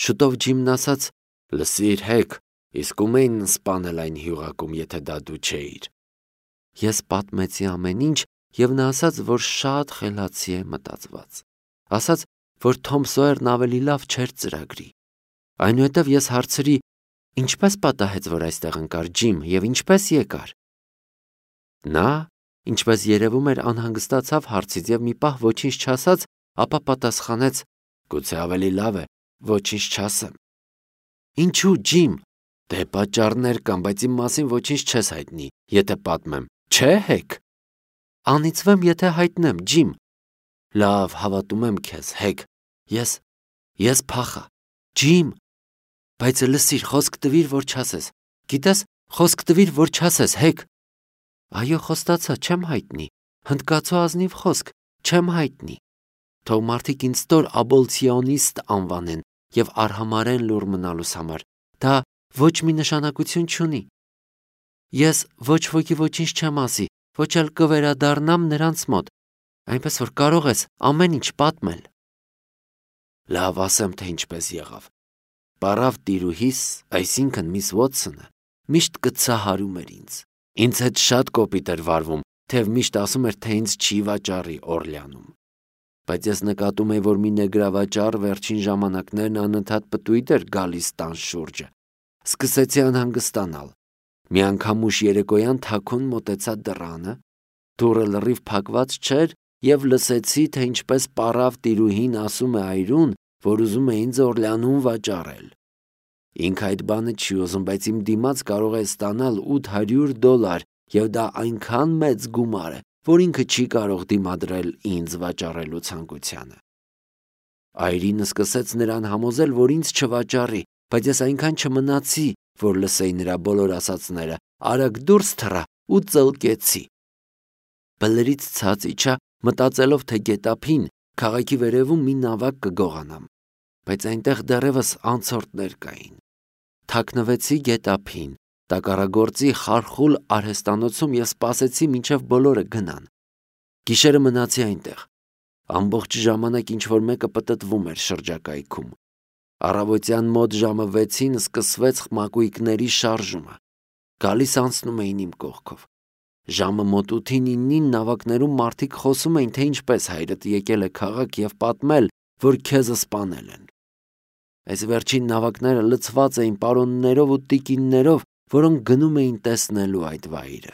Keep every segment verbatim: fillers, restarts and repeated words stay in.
Շուտով Ջիմն ասաց. «Լսիր, Հեկ, իսկ ում էին սպանել այն հյուղակում, եթե դա դու չէիր»։ Ես պատմեցի ամեն ինչ, եւ նա ասաց, որ շատ խելացի է մտածված։ Ասաց, որ Թոմ Սոյերն ավելի լավ չէր ծրագրի։ Այնուհետև ես հարցրի. «Ինչպես պատահեց, որ այստեղ ընկար Ջիմ, եւ ինչպես եկար»։ Նա, ինչպես երևում էր, անհանգստացավ հարցից եւ մի պահ ոչինչ չասաց, ապա պատասխանեց. «Գուցե ավելի լավ է, ոչինչ չասեմ»։ «Ինչու, Ջիմ»։ «Դե պատճառներ կան, բայց իմ մասին ոչինչ չես հայտնի, եթե պատմեմ, չէ՞ Հեկ»։ «Անիծվեմ, եթե հայտնեմ, Ջիմ»։ «Լավ, հավատում եմ քեզ, Հեկ, ես, ես փախա, Ջիմ, բայց լսիր, խոսք տվիր, որ չասես, գիտես, խոսք տվիր, որ չասես, Հեկ»։ «Այո, խոստացա, չեմ հայտնի, հնդկացու ազնիվ խոսք, չեմ հայտնի։ Թող մարդիկ ինձ ստոր աբոլցիոնիստ անվանեն եւ արհամարեն լուռ մնալուս համար, դա ոչ մի նշանակություն չունի։ Ես ոչ ոքի ոչինչ չեմ ասի, ոչ էլ կվերադառնամ նրանց մոտ, այնպես որ կարող ես ամեն ինչ պատմել»։ Լավ, ասեմ, թե ինչպես եղավ։ Պարավ տիրուհիս, այսինքն միս Ոթսոնը, միշտ կծահարում էր ինձ։ Ինձ հետ շատ կոպիտ էր վարվում, թեև միշտ ասում էր, թե ինձ չի վաճառի Օրլեանում։ Բայց ես նկատում էի, որ մի նեգրավաճառ վերջին ժամանակներն անընդհատ պտույտ էր գալիս տան շուրջը։ Սկսեցի անհանգստանալ։ Մի անգամ ուշ երեկոյան թաքուն մոտեցա դռանը, դուռը լրիվ փակված չէր, եւ լսեցի, թե ինչպես պարավ տիրուհին ասում է այրուն, որ ուզում է ինձ Օրլեանում վաճառել։ Ինքը այդ բանը չի ուզում, բայց իմ դիմաց կարող է ստանալ ութ հարյուր դոլար, եւ դա այնքան մեծ գումար է, որ ինքը չի կարող դիմադրել ինձ վաճառելու ցանկությանը։ Այրինը սկսեց նրան համոզել, որ ինձ չվաճառի, բայց ես այնքան չմնացի, որ լսեի նրա բոլոր ասածները, արագ դուրս թռա ու ծլկեցի։ Բլրից ցած իջա, մտածելով, թե գետափին քաղաքի վերևում մի նավակ կգողանամ, բայց այնտեղ դեռևս անցորդներ կային։ Թաքնվեցի գետափին, տակառագործի խարխուլ արհեստանոցում եւ սպասեցի, մինչեւ բոլորը գնան։ Գիշերը մնացի այնտեղ։ Ամբողջ ժամանակ ինչ-որ մեկը պտտվում էր շրջակայքում։ Առավոտյան մոտ ժամը վեցին սկսվեց մակույկների շարժումը։ Գալիս անցնում էին իմ կողքով։ Ժամը մոտ ութին իննին նավակներում մարդիկ խոսում էին, թե ինչպես հայրդ եկել է քաղաք եւ պատմել, որ քեզ սպանել են։ Այս վերջին նավակները լցված էին պարոններով ու տիկիններով, որոնք գնում էին տեսնելու այդ վայրը։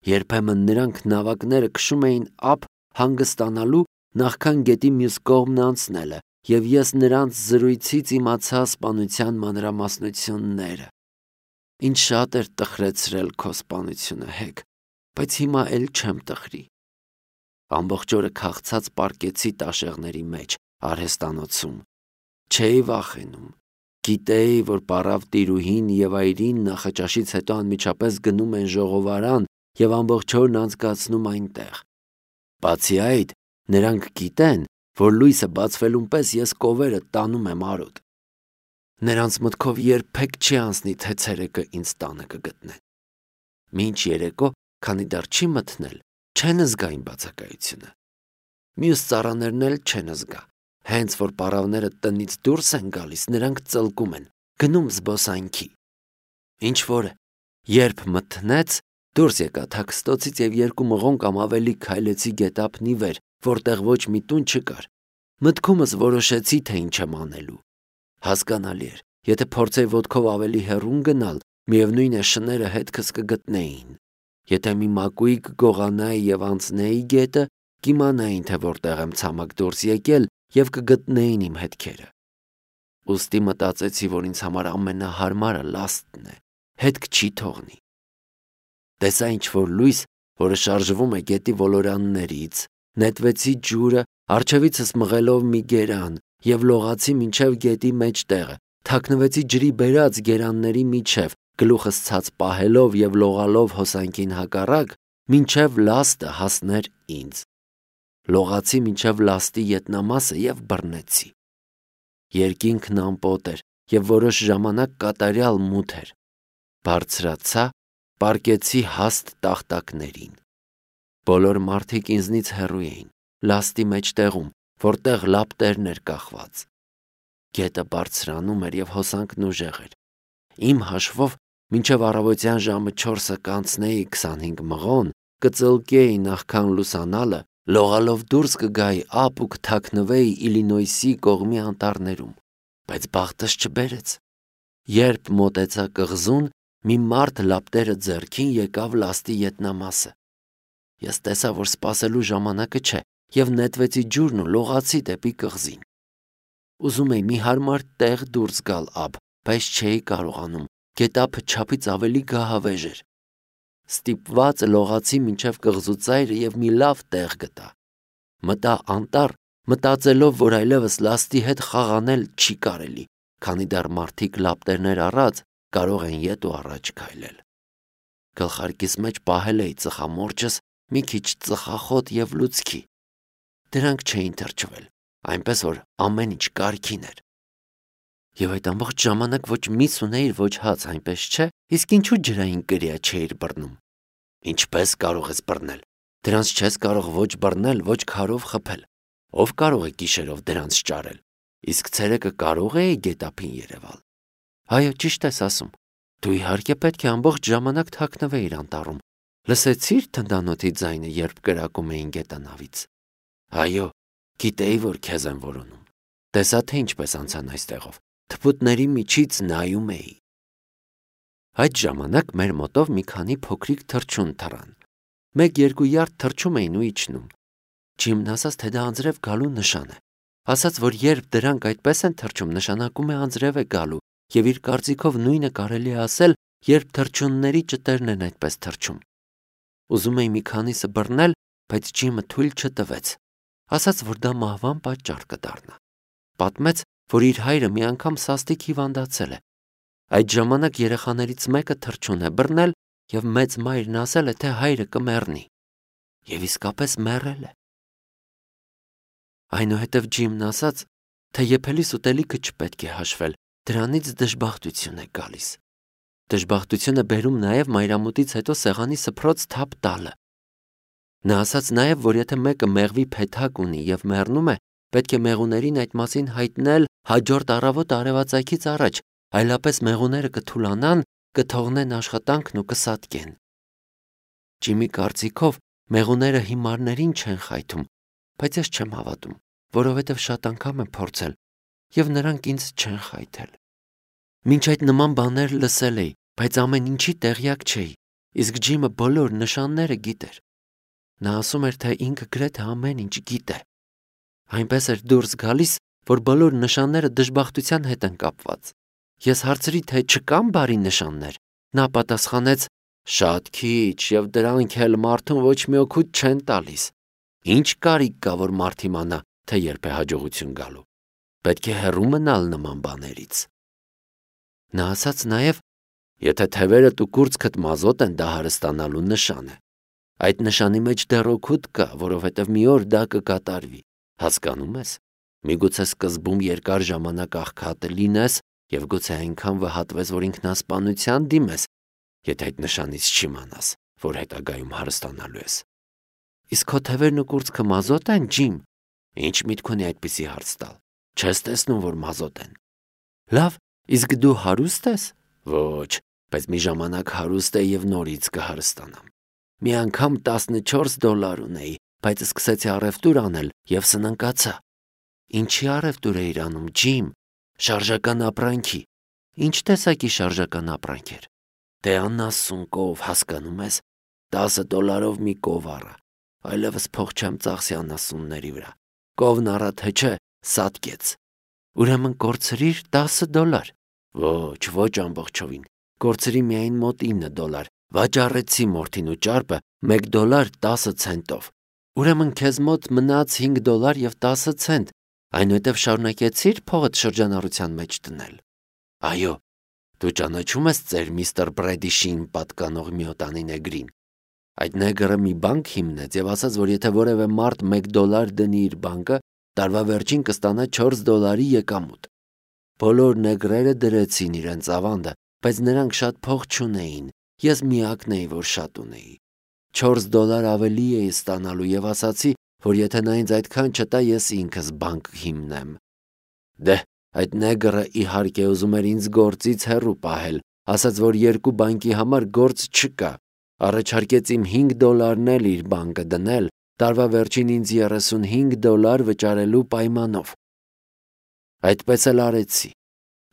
Երբեմն նրանք նավակները քշում էին ափ հանգստանալու, նախքան գետի մյուս կողմն անցնելը, եւ ես նրանց զրույցից իմացա սպանության մանրամասնությունները։ Ինչ շատ էր տխրեցրել քո սպանությունը, Հեկ, բայց հիմա էլ չեմ տխրի։ Ամբողջ օրը քաղցած պառկեցի տաշեղների մեջ, արհեստանոցում։ Չէի վախենում։ Գիտեի, որ պարավ տիրուհին եւ այրին նախաճաշից հետո անմիջապես գնում են ժողովարան եւ ամբողջ օրն անցկացնում այնտեղ։ Բացի այդ, նրանք գիտեն, որ լույսը բացվելուն պես ես կովերը տանում եմ արոտ։ Նրանց մտքով երբեք չի անցնի, թե ցերեկը ինձ տանը կգտնեն։ Մինչ երեկո, քանի դեռ չի մթնել, չեն զգա իմ բացակայությունը։ Մյուս ծառաներն էլ չեն զգա։ Հենց որ պարավները տնից դուրս են գալիս, նրանք ծլկում են, գնում զբոսանքի։ Ինչ որ է, երբ մթնեց, դուրս եկա թաքստոցից եւ երկու մղոն կամ ավելի քայլեցի գետափնի վեր, որտեղ ոչ մի տուն չկար։ Մտքումս որոշեցի, թե ինչ եմ անելու։ Հասկանալի էր, եթե փորձեի ոտքով ավելի հեռուն գնալ, միևնույն է շները հետքս կգտնեին։ Եթե մի մակույկ գողանայի եւ անցնեի գետը, կիմանային, թե որտեղ եմ ցամաք դուրս եկել եւ կգտնեին իմ հետքերը։ Ուստի մտածեցի, որ ինձ համար ամենահարմարը լաստն է, հետք չի թողնի։ Տեսա ինչ-որ լույս, որը շարժվում է գետի ոլորաններից, նետվեցի ջուրը, առջևիցս մղելով մի գերան եւ լողացի մինչեւ գետի մեջտեղը, թաքնվեցի ջրի բերած գերանների միջև, գլուխս ցած պահելով եւ լողալով հոսանքին հակառակ, մինչեւ լաստը հասներ ինձ։ Լողացի մինչև լաստի ետնամասը եւ բռնեցի։ Երկինքն ամպոտ էր եւ որոշ ժամանակ կատարյալ մութ էր։ Բարձրացա, պառկեցի հաստ տախտակներին։ Բոլոր մարդիկ ինձնից հեռու էին, լաստի մեջտեղում, որտեղ լապտերն էր կախված։ Գետը բարձրանում էր և հոսանքն ուժեղ էր։ Իմ հաշվով մինչև առավոտյան ժամը չորսը կանցնեի քսանհինգ մղոն, կծլկեի նախքան լուսանալը, լողալով դուրս կգայի ափ ու կթաքնվեի Իլինոյսի կողմի անտառներում, բայց բախտս չբերեց։ Երբ մոտեցա կղզուն, մի մարդ լապտերը ձեռքին եկավ լաստի ետնամասը։ Ես տեսա, որ սպասելու ժամանակը չէ, և նետվեցի ջուրն ու լողացի դեպի կղզին։ Ուզում էի մի հարմար տեղ դուրս գալ ափ, բայց չէի կարողանում, գետափը չափից ավելի գահավեժ էր։ Ստիպված լողացի մինչև կղզու ծայրը և մի լավ տեղ գտա։ Մտա անտառ, մտածելով, որ այլևս լաստի հետ խաղանել չի կարելի, քանի դեռ մարդիկ լապտերներ առած կարող են ետ ու առաջ քայլել։ Գլխարկիս մեջ պահել էի ծխամորճս, մի քիչ ծխախոտ և լուցկի։ Դրանք չէին թրջվել, այնպես որ ամեն ինչ կարգին էր։ Եվ այդ ամբողջ ժամանակ ոչ միս ունեիր, ոչ հաց, այնպես չէ, իսկ ինչու ջրային կրիա չէիր բռնում։ Ինչպես կարող ես բռնել։ Դրանց չես կարող ոչ բռնել, ոչ քարով խփել։ Ով կարող է գիշերով դրանց ճարել։ Իսկ ցերեկը կարող էի գետափին երևալ։ Այո, ճիշտ ես ասում։ Դու իհարկե պետք է ամբողջ ժամանակ թաքնվեիր անտառում։ Լսեցի՞ր թնդանոթի ձայնը, երբ կրակում էին գետանավից։ Այո, գիտեի, որ քեզ են որոնում։ Տեսա, թե ինչպես անցան այստեղով։ Թփուտների միջից նայում էի։ Այդ ժամանակ մեր մոտով մի քանի փոքրիկ թռչուն թռան։ Մեկ-երկու յարդ թռչում էին ու իջնում։ Ջիմն ասաց, թե դա անձրև գալու նշան է։ Ասաց, որ երբ դրանք այդպես են թռչում, նշանակում է անձրև է գալու, և իր կարծիքով նույնը կարելի է ասել, երբ թռչունների ճտերն են այդպես թռչում։ Ուզում էի մի քանիսը բռնել, բայց Ջիմը թույլ չտվեց։ Ասաց, որ դա մահվան պատճառ կդառնա։ Պատմեց, որ իր հայրը մի անգամ սաստիկ հիվանդացել է։ Այդ ժամանակ երեխաներից մեկը թռչուն է բռնել, և մեծ մայրն ասել է, թե հայրը կմեռնի։ Եվ իսկապես մեռել է։ Այնուհետև Ջիմն ասաց, թե եփելիս ուտելիքը չպետք է հաշվել, դրանից դժբախտություն է գալիս։ Դժբախտությունը բերում նաև մայրամուտից հետո սեղանի սփռոց թափ տալը։ Նա ասաց նաև, որ եթե մեկը մեղվի փեթակ ունի և մեռնում է, պետք է մեղուներին այդ մասին հայտնել հաջորդ առավոտ արևածագից առաջ, այլապես մեղուները կթուլանան, կթողնեն աշխատանքն ու կսատկեն։ Ջիմի կարծիքով մեղուները հիմարներին չեն խայթում, բայց ես չեմ հավատում, որովհետև շատ անգամ եմ փորձել, և նրանք ինձ չեն խայթել։ Մինչ այդ նման բաներ լսել էի, բայց ամեն ինչի տեղյակ չէի, իսկ Ջիմը բոլոր նշանները գիտեր։ Նա ասում էր, թե ինքը գրեթե ամեն ինչ գիտե։ Այնպես էր դուրս գալիս, որ բոլոր նշանները դժբախտության հետ են կապված։ Ես հարցրի, թե չկան բարի նշաններ։ Նա պատասխանեց. շատ քիչ, և դրանք էլ մարդուն ոչ մի օգուտ չեն տալիս։ Ինչ կարիք կա, որ մարդ իմանա, թե երբ է հաջողություն գալու։ Պետք է հեռու մնալ նման բաներից։ Նա ասաց նաև, եթե թևերդ ու կուրծքդ մազոտ են, դա հարստանալու նշան է։ Այդ նշանի մեջ դեռ օգուտ կա, որովհետև մի օր դա կկատարվի։ Հասկանում ես։ Միգուցե սկզբում երկար ժամանակ աղքատ լինես և գուցե այնքան վհատվես, որ ինքնասպանության դիմես, եթե այդ նշանից չիմանաս, որ հետագայում հարստանալու ես։ Իսկ քո թևերն ու կուրծքը մազոտ են, Ջիմ։ Ինչ միտք ունի այդպիսի հարց տալ։ Չես տեսնում, որ մազոտ են։ Լավ, իսկ դու հարուստ ես։ Ոչ, բայց մի ժամանակ հարուստ էի և նորից կհարստանամ։ Մի անգամ տասնչորս դոլար ունեի, բայց սկսեցի առևտուր անել և սնանկացա։ Ինչի առևտուր էիր անում, Ջիմ։ Շարժական ապրանքի։ Ինչ տեսակի շարժական ապրանք էր։ Դե անասուն կով, հասկանում ես։ Տասը դոլարով մի կով առա։ Այլևս փող չեմ ծախսի անասունների վրա։ Կովն առա թե չէ, սատկեց։ Ուրեմն կորցրիր տասը դոլար։ Ոչ, ոչ ամբողջովին։ Կորցրի միայն մոտ ինը դոլար։ Վաճառեցի մորթին ու ճարպը մեկ դոլար տասը ցենտով։ Ուրեմն քեզ մոտ մնաց հինգ դոլար և տասը ցենտ, այնուհետև շարունակեցի՞ր փողդ շրջանառության մեջ դնել։ Այո, դու ճանաչում ես ծեր միստր Բրեդիշին պատկանող միոտանի նեգրին։ Այդ նեգրը մի բանկ հիմնեց և ասաց, որ եթե որևէ մարդ մեկ դոլար դնի իր բանկը, տարվա վերջին կստանա չորս դոլարի եկամուտ։ Բոլոր նեգրերը դրեցին իրենց ավանդը, բայց նրանք շատ փող չունեին։ Ես միակն էի, որ շատ ունեի։ Չորս դոլար ավելի էի ստանալու և ասացի, որ եթե նա ինձ այդքան չտա, ես ինքս բանկ հիմնեմ։ Դե, Այդ նեգրը իհարկե ուզում էր ինձ գործից հեռու պահել, ասաց, որ երկու բանկի համար գործ չկա, առաջարկեց իմ հինգ դոլարն էլ իր բանկը դնել, տարվա վերջին ինձ երեսունհինգ դոլար վճարելու պայմանով։ Այդպես էլ արեցի։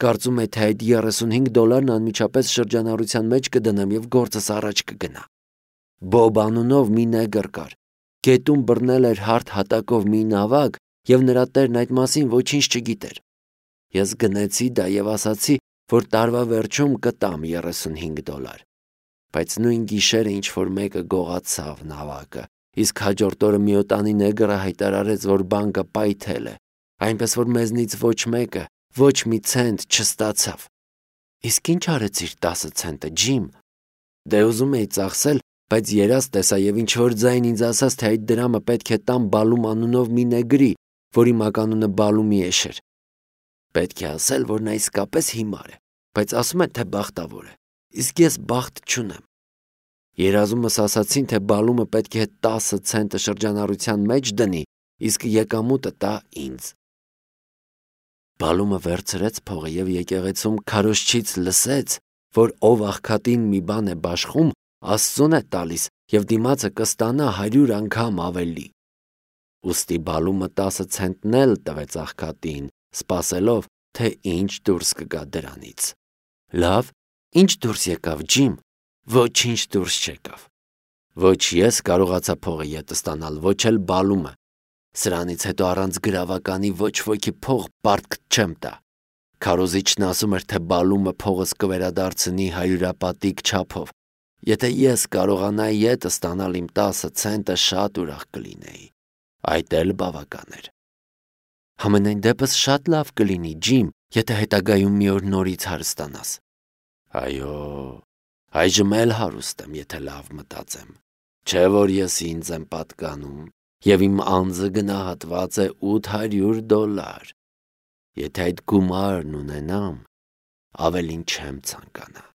Կարծում եմ, թե այդ երեսունհինգ դոլարն անմիջապես շրջանառության մեջ կդնեմ և գործս առաջ կգնա։ Բոբ անունով մի նեգր կար, գետում բռնել էր հարթ հատակով մի նավակ և նրա տերն այդ մասին ոչինչ չգիտեր։ Ես գնեցի դա և ասացի, որ տարվա վերջում կտամ երեսունհինգ դոլար, բայց նույն գիշերը ինչ-որ մեկը գողացավ նավակը, իսկ հաջորդ օրը միոտանի նեգրը հայտարարեց, որ բանկը պայթել է, այնպես որ մեզնից ոչ մեկը ոչ մի ցենտ չստացավ։ Իսկ ինչ արեցիր տասը ցենտը, Ջիմ։ Դե ուզում էի ծախսել, բայց երազ տեսա և ինչ-որ ձայն ինձ ասաց, թե այդ դրամը պետք է տամ Բալում անունով մի նեգրի, որի մականունը Բալումիեշ էր։ Պետք է ասել, որ նա իսկապես հիմար է, բայց ասում է, թե բախտավոր է, իսկ ես բախտ չունեմ։ Երազումս ասացին, թե Բալումը պետք է տասը ցենտը շրջանառության մեջ դնի, իսկ եկամուտը տա ինձ։ Բալումը վերցրեց փողը և եկեղեցում քարոզչից լսեց, որ ով աղքատին մի բան է բաշխում, Աստծուն է տալիս և դիմացը կստանա հարյուր անգամ ավելի։ Ուստի Բալումը տասը ցենտն էլ տվեց աղքատին, սպասելով, թե ինչ դուրս կգա դրանից։ Լավ, ինչ դուրս եկավ, Ջիմ։ Ոչինչ դուրս չեկավ։ Ոչ ես կարողացա փողը ետը ստանալ, ոչ էլ Բալումը։ Սրանից հետո առանց գրավականի ոչ ոքի փող պարտք չեմ տա։ Քարոզիչն ասում էր, թե Բալումը փողս կվերադարձնի հարյուրապատիկ չափով։ Եթե ես կարողանայի ետը ստանալ իմ տասը ցենտը, շատ ուրախ կլինեի։ Այդ էլ բավական էր։ Համենայն դեպս շատ լավ կլինի, Ջիմ, եթե հետագայում մի օր նորից հարստանաս։ Այո, այժմ էլ հարուստ եմ, եթե լավ մտածեմ։ Չէ՞ որ ես ինձ եմ պատկանում, և իմ անձը գնահատված է ութ հարյուր դոլար։ Եթե այդ գումարն ունենամ, ավելին չեմ ցանկանա։